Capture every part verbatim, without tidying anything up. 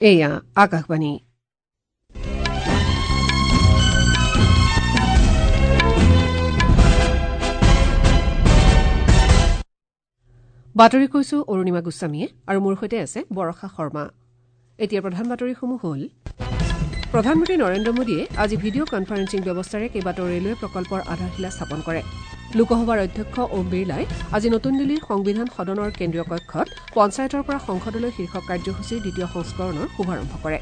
এয়া আকাশবাণী। বাতৰি কৈছো অৰুণিমা গোস্বামীয়ে আৰু মোৰ সৈতে আছে বৰষা শৰ্মা। এতিয়া প্ৰধান বাতৰিসমূহ হ'ল: প্ৰধানমন্ত্ৰী নৰেন্দ্ৰ মোদীয়ে আজি ভিডিঅ' কনফাৰেন্সিং ব্যৱস্থাৰে কেইবাটাও ৰেলৱে প্ৰকল্পৰ আধাৰশিলা স্থাপন কৰে। লোকসভাৰ অধ্যক্ষ ওম বিৰলাই আজি নতুন দিল্লীৰ সংবিধান সদনৰ কেন্দ্ৰীয় কক্ষত পঞ্চায়তৰ পৰা সংসদলৈ শীৰ্ষক কাৰ্যসূচীৰ দ্বিতীয় সংস্কৰণৰ শুভাৰম্ভ কৰে।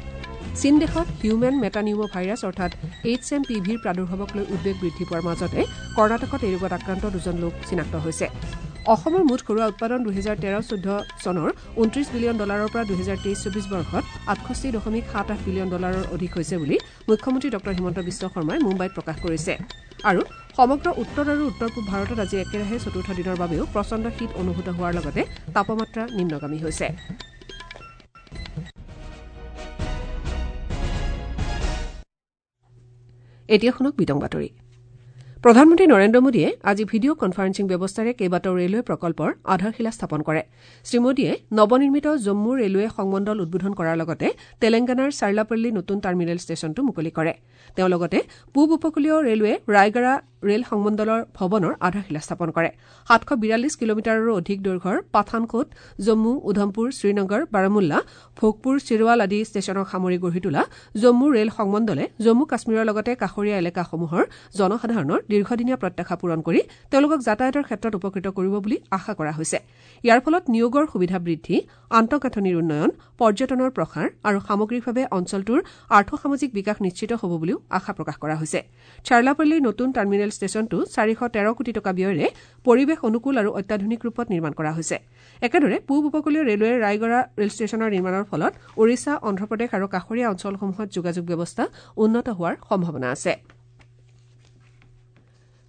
চীন দেশত হিউমেন মেটানিউমো ভাইৰাছ অৰ্থাৎ এইচ এম পি ভিৰ প্ৰাদুৰ্ভাৱক লৈ উদ্বেগ বৃদ্ধি পোৱাৰ মাজতে কৰ্ণাটকত এই ৰোগত আক্ৰান্ত দুজন লোক চিনাক্ত হৈছে। অসমৰ মুঠ ঘৰুৱা উৎপাদন দুহেজাৰ তেৰ চৈধ্য চনৰ ঊনত্ৰিশ বিলিয়ন ডলাৰৰ পৰা দুহেজাৰ তেইছ চৌবিশ বৰ্ষত আঠষষ্ঠি দশমিক সাত আঠ বিলিয়ন ডলাৰৰ অধিক হৈছে বুলি মুখ্যমন্ত্ৰী ডঃ হিমন্ত বিশ্ব শৰ্মাই মুম্বাইত প্ৰকাশ কৰিছে। আৰু সমগ্ৰ উত্তৰ আৰু উত্তৰ পূব ভাৰতত আজি একেৰাহে চতুৰ্থ দিনৰ বাবেও প্ৰচণ্ড শীত অনুভূত হোৱাৰ লগতে তাপমাত্ৰা নিম্নগামী হৈছে। এতিয়া শুনক বিতং বাতৰি। প্ৰধানমন্ত্ৰী নৰেন্দ্ৰ মোদীয়ে আজি ভিডিঅ' কনফাৰেন্সিং ব্যৱস্থাৰে কেইবাটাও ৰেলৱে প্ৰকল্পৰ আধাৰশিলা স্থাপন কৰে। শ্ৰীমোদীয়ে নৱনিৰ্মিত জম্মু ৰেলৱে সংমণ্ডল উদ্বোধন কৰাৰ লগতে তেলেংগানাৰ চাৰ্লাপল্লী নতুন টাৰ্মিনেল ষ্টেচনটো মুকলি কৰে। তেওঁ লগতে পূব উপকূলীয় ৰেলৱে ৰায়গড়া ৰেল সংমণ্ডলৰ ভৱনৰ আধাৰশিলা স্থাপন কৰে। সাতশ বিৰাল্লিছ কিলোমিটাৰৰো অধিক দৈৰ্ঘ্যৰ পাঠানকোট, জম্মু, উধমপুৰ, শ্ৰীনগৰ, বাৰামুল্লা, ভোগপুৰ, চিৰৱাল আদি ষ্টেচনক সামৰি গঢ়ি তোলা জম্মু ৰেল সংমণ্ডলে জম্মু কাশ্মীৰৰ লগতে কাষৰীয়া এলেকাসমূহৰ জনসাধাৰণৰ দীৰ্ঘদিনীয়া প্ৰত্যাশা পূৰণ কৰি তেওঁলোকক যাতায়াতৰ ক্ষেত্ৰত উপকৃত কৰিব বুলি আশা কৰা হৈছে। ইয়াৰ ফলত নিয়োগৰ সুবিধা বৃদ্ধি, আন্তঃগাঁথনিৰ উন্নয়ন, পৰ্যটনৰ প্ৰসাৰ আৰু সামগ্ৰিকভাৱে অঞ্চলটোৰ আৰ্থসামাজিক বিকাশ নিশ্চিত হ'ব বুলিও আশা প্ৰকাশ কৰা হৈছে। চাৰ্লাপল্লীৰ নতুন টাৰ্মিনেল ষ্টেচনটো চাৰিশ তেৰ কোটি টকা ব্যয়েৰে পৰিৱেশ অনুকূল আৰু অত্যাধুনিক ৰূপত নিৰ্মাণ কৰা হৈছে। একেদৰে পূব উপকূলীয় ৰেলৱেৰ ৰায়গড়া ৰেল ষ্টেচনৰ নিৰ্মাণৰ ফলত ওড়িশা, অন্ধ্ৰপ্ৰদেশ আৰু কাষৰীয়া অঞ্চলসমূহত যোগাযোগ ব্যৱস্থা উন্নত হোৱাৰ সম্ভাৱনা আছে।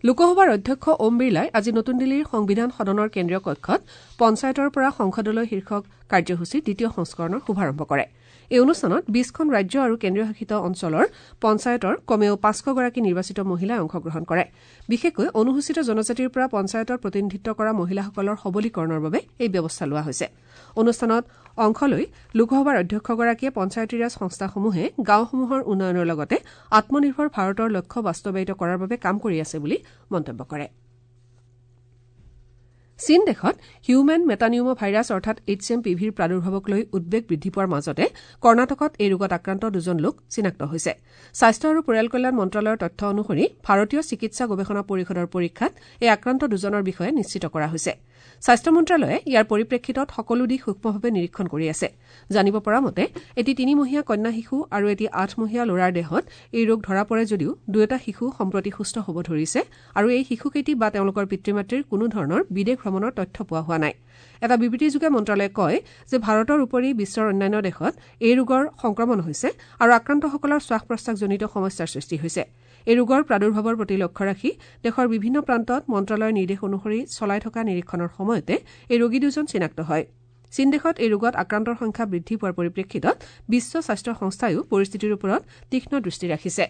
লোকসভাৰ অধ্যক্ষ ওম বিৰলাই আজি নতুন দিল্লীৰ সংবিধান সদনৰ কেন্দ্ৰীয় কক্ষত পঞ্চায়তৰ পৰা সংসদলৈ শীৰ্ষক কাৰ্যসূচীৰ দ্বিতীয় সংস্কৰণৰ শুভাৰম্ভ কৰে। এই অনুষ্ঠানত বিশখন ৰাজ্য আৰু কেন্দ্ৰীয় শাসিত অঞ্চলৰ পঞ্চায়তৰ কমেও পাঁচশগৰাকী নিৰ্বাচিত মহিলাই অংশগ্ৰহণ কৰে। বিশেষকৈ অনুসূচিত জনজাতিৰ পৰা পঞ্চায়তত প্ৰতিনিধিত্ব কৰা মহিলাসকলৰ সবলীকৰণৰ বাবে এই ব্যৱস্থা লোৱা হৈছে। অনুষ্ঠানত অংশ লৈ লোকসভাৰ অধ্যক্ষগৰাকীয়ে পঞ্চায়তীৰাজ সংস্থাসমূহে গাঁওসমূহৰ উন্নয়নৰ লগতে আত্মনিৰ্ভৰ ভাৰতৰ লক্ষ্য বাস্তৱায়িত কৰাৰ বাবে কাম কৰি আছে বুলি মন্তব্য কৰে। চীন দেশত হিউমেন মেটানিউমো ভাইৰাছ অৰ্থাৎ এইচ এম পি ভিৰ প্ৰাদুৰ্ভাৱক লৈ উদ্বেগ বৃদ্ধি পোৱাৰ মাজতে কৰ্ণাটকত এই ৰোগত আক্ৰান্ত দুজন লোক চিনাক্ত হৈছে। স্বাস্থ্য আৰু পৰিয়াল কল্যাণ মন্ত্ৰালয়ৰ তথ্য অনুসৰি ভাৰতীয় চিকিৎসা গৱেষণা পৰিষদৰ পৰীক্ষাত এই আক্ৰান্ত দুজনৰ বিষয়ে নিশ্চিত কৰা হৈছে। স্বাস্থ্য মন্ত্ৰালয়ে ইয়াৰ পৰিপ্ৰেক্ষিতত সকলো দিশ সূক্ষ্মভাৱে নিৰীক্ষণ কৰি আছে। জানিব পৰা মতে এটি তিনিমহীয়া কন্যা শিশু আৰু এটি আঠমহীয়া ল'ৰাৰ দেহত এই ৰোগ ধৰা পৰে যদিও দুয়োটা শিশু সম্প্ৰতি সুস্থ হ'ব ধৰিছে আৰু এই শিশুকেইটি বা তেওঁলোকৰ পিতৃ মাতৃৰ কোনো ধৰণৰ বিদেশ ভ্ৰমণৰ তথ্য পোৱা হোৱা নাই। এটা বিবৃতিযোগে মন্ত্ৰালয়ে কয় যে ভাৰতৰ উপৰি বিশ্বৰ অন্যান্য দেশত এই ৰোগৰ সংক্ৰমণ হৈছে আৰু আক্ৰান্তসকলৰ শ্বাস প্ৰশ্বাসজনিত সমস্যাৰ সৃষ্টি হৈছে। এই ৰোগৰ প্ৰাদুৰ্ভাৱৰ প্ৰতি লক্ষ্য ৰাখি দেশৰ বিভিন্ন প্ৰান্তত মন্ত্ৰালয়ৰ নিৰ্দেশ অনুসৰি চলাই থকা নিৰীক্ষণৰ সময়তে এই ৰোগী দুজন চিনাক্ত হয়। চীন দেশত এই ৰোগত আক্ৰান্তৰ সংখ্যা বৃদ্ধি পোৱাৰ পৰিপ্ৰেক্ষিতত বিশ্ব স্বাস্থ্য সংস্থাইও পৰিস্থিতিৰ ওপৰত তীক্ষ্ণ দৃষ্টি ৰাখিছে।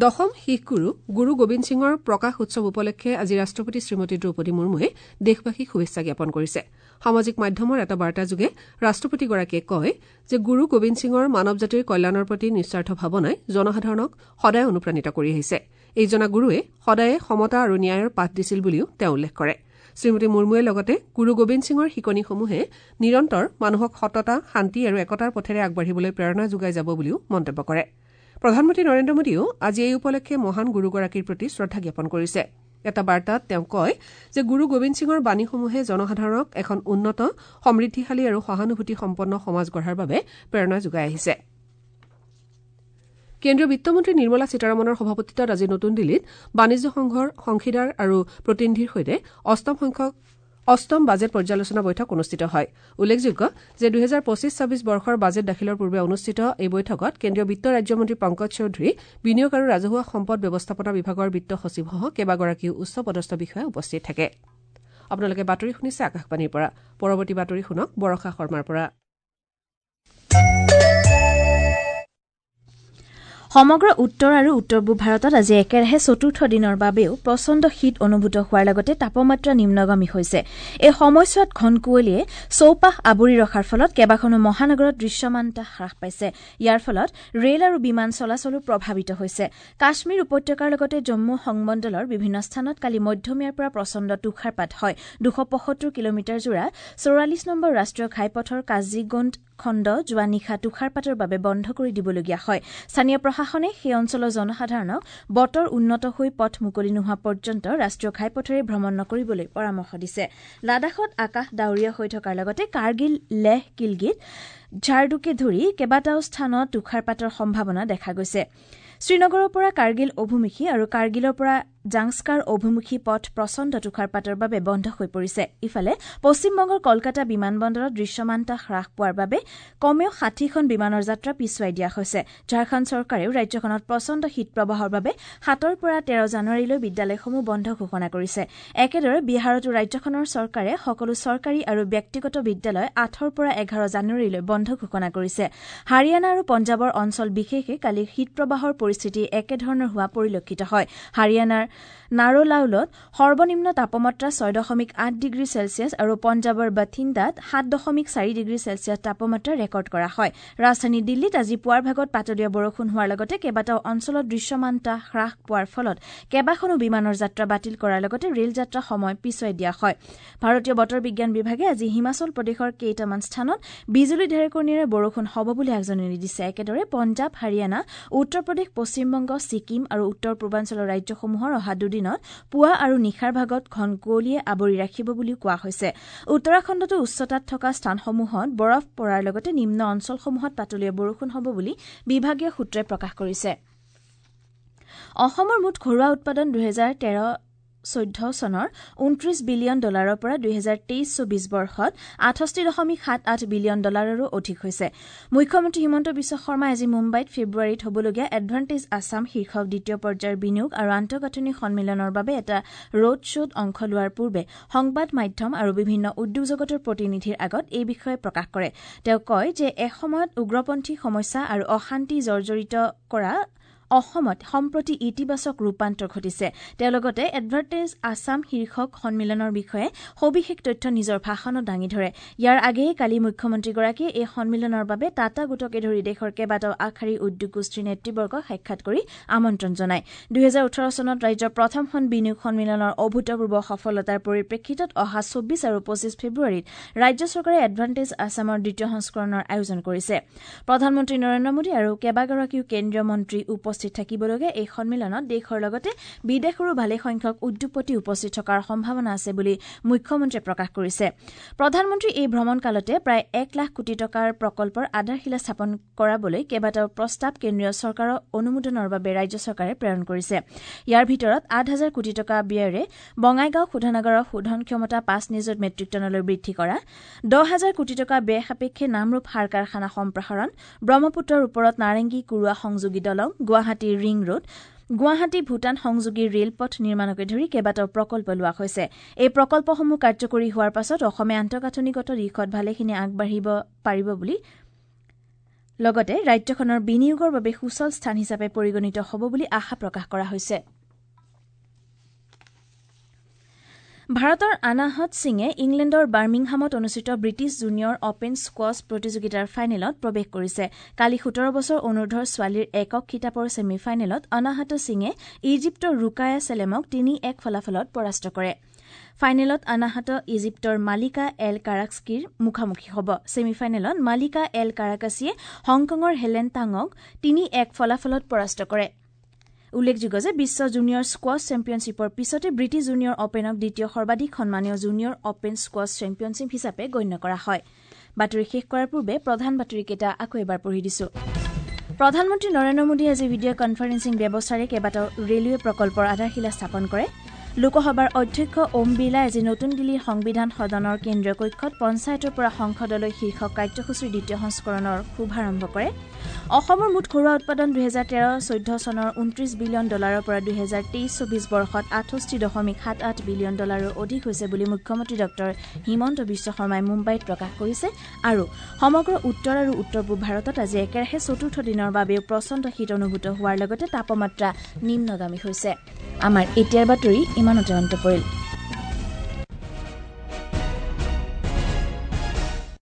দশম শিখ গুৰু গুৰু গোবিন্দ সিঙৰ প্ৰকাশ উৎসৱ উপলক্ষে আজি ৰাষ্ট্ৰপতি শ্ৰীমতী দ্ৰৌপদী মুৰ্মুৱে দেশবাসীক শুভেচ্ছা জ্ঞাপন কৰিছে। সামাজিক মাধ্যমৰ এটা বাৰ্তাযোগে ৰাষ্ট্ৰপতিগৰাকীয়ে কয় যে গুৰু গোবিন্দ সিঙৰ মানৱ জাতিৰ কল্যাণৰ প্ৰতি নিস্বাৰ্থ ভাৱনাই জনসাধাৰণক সদায় অনুপ্ৰাণিত কৰি আহিছে। এইজনা গুৰুৱে সদায়ে সমতা আৰু ন্যায়ৰ পাঠ দিছিল বুলিও তেওঁ উল্লেখ কৰে। শ্ৰীমতী মুৰ্মুৱে লগতে গুৰু গোবিন্দ সিঙৰ শিকনিসমূহে নিৰন্তৰ মানুহক সততা, শান্তি আৰু একতাৰ পথেৰে আগবাঢ়িবলৈ প্ৰেৰণা যোগাই যাব বুলিও মন্তব্য কৰে। প্ৰধানমন্ত্ৰী নৰেন্দ্ৰ মোদীয়েও আজি এই উপলক্ষে মহান গুৰুগৰাকীৰ প্ৰতি শ্ৰদ্ধা জ্ঞাপন কৰিছে। এটা বাৰ্তাত তেওঁ কয় যে গুৰু গোবিন্দ সিঙৰ বাণীসমূহে জনসাধাৰণক এখন উন্নত, সমৃদ্ধিশালী আৰু সহানুভূতিসম্পন্ন সমাজ গঢ়াৰ বাবে প্ৰেৰণা যোগাই আহিছে। কেন্দ্ৰীয় বিত্তমন্ত্ৰী নিৰ্মলা সীতাৰমণৰ সভাপতিত্বত আজি নতুন দিল্লীত বাণিজ্য সংঘৰ অংশীদাৰ আৰু প্ৰতিনিধিৰ সৈতে অষ্টম সংখ্যক অষ্টম বাজেট পৰ্যালোচনা বৈঠক অনুষ্ঠিত হয়। উল্লেখযোগ্য যে দুহেজাৰ পঁচিছ ছাব্বিছ বৰ্ষৰ বাজেট দাখিলৰ পূৰ্বে অনুষ্ঠিত এই বৈঠকত কেন্দ্ৰীয় বিত্ত ৰাজ্যমন্ত্ৰী পংকজ চৌধুৰী, বিনিয়োগ আৰু ৰাজহুৱা সম্পদ ব্যৱস্থাপনা বিভাগৰ বিত্ত সচিবসহ কেইবাগৰাকীও উচ্চ পদস্থ বিষয়া উপস্থিত থাকে। আপোনালোকে বাতৰি শুনিছে আকাশবাণীৰ পৰা। পৰৱৰ্তী বাতৰি শুনক বৰষা শৰ্মাৰ পৰা। সমগ্ৰ উত্তৰ আৰু উত্তৰ পূব ভাৰতত আজি একেৰাহে চতুৰ্থ দিনৰ বাবেও প্ৰচণ্ড শীত অনুভূত হোৱাৰ লগতে তাপমাত্ৰা নিম্নগামী হৈছে। এই সময়ছোৱাত ঘন কুঁৱলীয়ে চৌপাশ আৱৰি ৰখাৰ ফলত কেইবাখনো মহানগৰত দৃশ্যমানতা হ্ৰাস পাইছে। ইয়াৰ ফলত ৰেল আৰু বিমান চলাচলো প্ৰভাৱিত হৈছে। কাশ্মীৰ উপত্যকাৰ লগতে জম্মু সংমণ্ডলৰ বিভিন্ন স্থানত কালি মধ্যমীয়াৰ পৰা প্ৰচণ্ড তুষাৰপাত হয়। দুশ পঁয়সত্তৰ কিলোমিটাৰ জোৰা চৌৰাল্লিছ নম্বৰ ৰাষ্ট্ৰীয় ঘাইপথৰ কাজিগণ্ড খণ্ড যোৱা নিশা তুষাৰপাতৰ বাবে বন্ধ কৰি দিবলগীয়া হয়। স্থানীয় প্ৰশাসনে সেই অঞ্চলৰ জনসাধাৰণক বতৰ উন্নত হৈ পথ মুকলি নোহোৱা পৰ্যন্ত ৰাষ্ট্ৰীয় ঘাইপথেৰে ভ্ৰমণ নকৰিবলৈ পৰামৰ্শ দিছে। লাডাখত আকাশ ডাৱৰীয়া হৈ থকাৰ লগতে কাৰ্গিল, লেহ, কিলগিত, ঝাৰডুকে ধৰি কেইবাটাও স্থানত তুষাৰপাতৰ সম্ভাৱনা দেখা গৈছে। শ্ৰীনগৰৰ পৰা কাৰ্গিল অভিমুখী আৰু কাৰ্গিলৰ পৰা জাংস্কাৰ অভিমুখী পথ প্ৰচণ্ড তুষাৰপাতৰ বাবে বন্ধ হৈ পৰিছে। ইফালে পশ্চিমবংগৰ কলকাতা বিমানবন্দৰত দৃশ্যমানতা হ্ৰাস পোৱাৰ বাবে কমেও ষাঠিখন বিমানৰ যাত্ৰা পিছুৱাই দিয়া হৈছে। ঝাৰখণ্ড চৰকাৰেও ৰাজ্যখনত প্ৰচণ্ড শীতপ্ৰবাহৰ বাবে সাতৰ পৰা তেৰ জানুৱাৰীলৈ বিদ্যালয়সমূহ বন্ধ ঘোষণা কৰিছে। একেদৰে বিহাৰতো ৰাজ্যখনৰ চৰকাৰে সকলো চৰকাৰী আৰু ব্যক্তিগত বিদ্যালয় আঠৰ পৰা এঘাৰ জানুৱাৰীলৈ বন্ধ ঘোষণা কৰিছে। হাৰিয়ানা আৰু পঞ্জাৱৰ অঞ্চল বিশেষে কালি শীতপ্ৰবাহৰ পৰিস্থিতি একেধৰণৰ হোৱা পৰিলক্ষিত হয়। হাৰিয়ানাৰ নাৰোলাউলত সৰ্বনিম্ন তাপমাত্ৰা ছয় দশমিক আঠ ডিগ্ৰী চেলছিয়াছ আৰু পঞ্জাৱৰ বাথিন্দাত সাত দশমিক চাৰি ডিগ্ৰী চেলছিয়াছ তাপমাত্ৰা ৰেকৰ্ড কৰা হয়। ৰাজধানী দিল্লীত আজি পুৱাৰ ভাগত পাতলীয়া বৰষুণ হোৱাৰ লগতে কেইবাটাও অঞ্চলত দৃশ্যমানতা হ্ৰাস পোৱাৰ ফলত কেইবাখনো বিমানৰ যাত্ৰা বাতিল কৰাৰ লগতে ৰেল যাত্ৰা সময় পিছুৱাই দিয়া হয়। ভাৰতীয় বতৰ বিজ্ঞান বিভাগে আজি হিমাচল প্ৰদেশৰ কেইটামান স্থানত বিজুলী ঢেৰেকণিৰে বৰষুণ হ'ব বুলি আগজাননী দিছে। একেদৰে পঞ্জাৱ, হাৰিয়ানা, উত্তৰ প্ৰদেশ, পশ্চিমবংগ, ছিকিম আৰু উত্তৰ পূৰ্বাঞ্চলৰ ৰাজ্যসমূহৰ অহা দুদিনত পুৱা আৰু নিশাৰ ভাগত ঘন কুঁৱলীয়ে আৱৰি ৰাখিব বুলিও কোৱা হৈছে। উত্তৰাখণ্ডতো উচ্চতাত থকা স্থানসমূহত বৰফ পৰাৰ লগতে নিম্ন অঞ্চলসমূহত পাতলীয়া বৰষুণ হ'ব বুলি বিভাগীয় সূত্ৰই প্ৰকাশ কৰিছে। অসমৰ মুঠ ঘৰুৱা উৎপাদন দুহেজাৰ তেৰ চৈধ্য চনৰ ঊনত্ৰিশ বিলিয়ন ডলাৰৰ পৰা দুহেজাৰ তেইছ চৌবিছ বৰ্ষত আঠষষ্ঠি দশমিক সাত আঠ বিলিয়ন ডলাৰৰো অধিক হৈছে। মুখ্যমন্ত্ৰী হিমন্ত বিশ্ব শৰ্মাই আজি মুম্বাইত ফেব্ৰুৱাৰীত হ'বলগীয়া এডভান্টেজ আছাম শীৰ্ষক দ্বিতীয় পৰ্যায়ৰ বিনিয়োগ আৰু আন্তঃগাঁথনি সন্মিলনৰ বাবে এটা ৰোড শ্ব'ত অংশ লোৱাৰ পূৰ্বে সংবাদ মাধ্যম আৰু বিভিন্ন উদ্যোগ জগতৰ প্ৰতিনিধিৰ আগত এই বিষয়ে প্ৰকাশ কৰে। তেওঁ কয় যে এসময়ত উগ্ৰপন্থী সমস্যা আৰু অশান্তি জৰ্জৰিত কৰা অসমত সম্প্ৰতি ইতিবাচক ৰূপান্তৰ ঘটিছে। তেওঁ লগতে এডভান্টেজ আছাম শীৰ্ষক সন্মিলনৰ বিষয়ে সবিশেষ তথ্য নিজৰ ভাষণত দাঙি ধৰে। ইয়াৰ আগেয়ে কালি মুখ্যমন্ত্ৰীগৰাকীয়ে এই সন্মিলনৰ বাবে টাটা গোটকে ধৰি দেশৰ কেইবাটাও আগশাৰীৰ উদ্যোগ গোষ্ঠীৰ নেতৃবৰ্গক সাক্ষাৎ কৰি আমন্ত্ৰণ জনায়। দুহেজাৰ ওঠৰ চনত ৰাজ্যৰ প্ৰথমখন বিনিয়োগ সন্মিলনৰ অভূতপূৰ্ব সফলতাৰ পৰিপ্ৰেক্ষিতত অহা চৌবিছ আৰু পঁচিছ ফেব্ৰুৱাৰীত ৰাজ্য চৰকাৰে এডভান্টেজ আছামৰ দ্বিতীয় সংস্কৰণৰ আয়োজন কৰিছে। প্ৰধানমন্ত্ৰী নৰেন্দ্ৰ মোদী আৰু কেইবাগৰাকীও কেন্দ্ৰীয় মন্ত্ৰী উপস্থিত থাকিবলগীয়া এই সন্মিলনত দেশৰ লগতে বিদেশৰো ভালেসংখ্যক উদ্যোগপতি উপস্থিত থকাৰ সম্ভাৱনা আছে বুলি মুখ্যমন্ত্ৰীয়ে প্ৰকাশ কৰিছে। প্ৰধানমন্ত্ৰী এই ভ্ৰমণকালতে প্ৰায় এক লাখ কোটি টকাৰ প্ৰকল্পৰ আধাৰশিলা স্থাপন কৰাবলৈ কেইবাটাও প্ৰস্তাৱ কেন্দ্ৰীয় চৰকাৰৰ অনুমোদনৰ বাবে ৰাজ্য চৰকাৰে প্ৰেৰণ কৰিছে। ইয়াৰ ভিতৰত আঠ হাজাৰ কোটি টকা ব্যয়েৰে বঙাইগাঁও শোধনাগাৰৰ শোধন ক্ষমতা পাঁচ নিযুত মেট্ৰিক টনলৈ বৃদ্ধি কৰা, দহ হাজাৰ কোটি টকা ব্যয় সাপেক্ষে নামৰূপ সাৰ কাৰখানা সম্প্ৰসাৰণ, ব্ৰহ্মপুত্ৰৰ ওপৰত নাৰেংগী কুৰুৱা সংযোগী দলং, গুৱাহাটী ৰিং ৰোড, গুৱাহাটী ভূটান সংযোগী ৰেলপথ নিৰ্মাণকে ধৰি কেইবাটাও প্ৰকল্প লোৱা হৈছে। এই প্ৰকল্পসমূহ কাৰ্যকৰী হোৱাৰ পাছত অসমে আন্তঃগাঁথনিগত দিশত ভালেখিনি আগবাঢ়িব পাৰিব বুলি লগতে ৰাজ্যখনৰ বিনিয়োগৰ বাবে সুচল স্থান হিচাপে পৰিগণিত হ'ব বুলি আশা প্ৰকাশ কৰা হৈছে। ভাৰতৰ আনাহত সিঙে ইংলেণ্ডৰ বাৰ্মিংহামত অনুষ্ঠিত ব্ৰিটিছ জুনিয়ৰ অপেন স্কোৱাছ প্ৰতিযোগিতাৰ ফাইনেলত প্ৰৱেশ কৰিছে। কালি সোতৰ বছৰ অনুৰ্ধৰ ছোৱালীৰ একক খিতাপৰ ছেমি ফাইনেলত অনাহত সিঙে ইজিপ্তৰ ৰুকায়া চেলেমক তিনি এক ফলাফলত পৰাস্ত কৰে। ফাইনেলত আনাহত ইজিপ্তৰ মালিকা এল কাৰাক্সিৰ মুখামুখি হ'ব। ছেমি ফাইনেলত মালিকা এল কাৰাকাছিয়ে হংকঙৰ হেলেন টাঙক তিনি এক ফলাফলত পৰাস্ত কৰে। উল্লেখযোগ্য যে বিশ্ব জুনিয়ৰ স্কোৱাছ চেম্পিয়নশ্বিপৰ পিছতে ব্ৰিটিছ জুনিয়ৰ অপেনক দ্বিতীয় সৰ্বাধিক সন্মানীয় জুনিয়ৰ অপেন স্কোৱাছ চেম্পিয়নশ্বিপ হিচাপে গণ্য কৰা হয়। বাতৰি শেষ কৰাৰ পূৰ্বে প্ৰধান বাতৰিকেইটা আকৌ এবাৰ পঢ়ি দিছো। প্ৰধানমন্ত্ৰী নৰেন্দ্ৰ মোদীয়ে আজি ভিডিঅ' কনফাৰেন্সিং ব্যৱস্থাৰে কেইবাটাও ৰেলৱে প্ৰকল্পৰ আধাৰশিলা স্থাপন কৰে। লোকসভাৰ অধ্যক্ষ ওম বিৰলাই আজি নতুন দিল্লীৰ সংবিধান সদনৰ কেন্দ্ৰীয় কক্ষত পঞ্চায়তৰ পৰা সংসদলৈ শীৰ্ষক কাৰ্যসূচীৰ দ্বিতীয় সংস্কৰণৰ শুভাৰম্ভ কৰে। অসমৰ মুঠ ঘৰুৱা উৎপাদন দুহেজাৰ তেৰ চৈধ্য চনৰ ঊনত্ৰিশ বিলিয়ন ডলাৰৰ পৰা দুহেজাৰ তেইছ চৌবিছ বৰ্ষত আঠষষ্ঠি দশমিক সাত আঠ বিলিয়ন ডলাৰৰ অধিক হৈছে বুলি মুখ্যমন্ত্ৰী ডঃ হিমন্ত বিশ্ব শৰ্মাই মুম্বাইত প্ৰকাশ কৰিছে। আৰু সমগ্ৰ উত্তৰ আৰু উত্তৰ পূব ভাৰতত আজি একেৰাহে চতুৰ্থ দিনৰ বাবেও প্ৰচণ্ড শীত অনুভূত হোৱাৰ লগতে তাপমাত্ৰা নিম্নগামী হৈছে। আমাৰ এতিয়াৰ বাতৰি ইমানতে অন্ত পৰিল।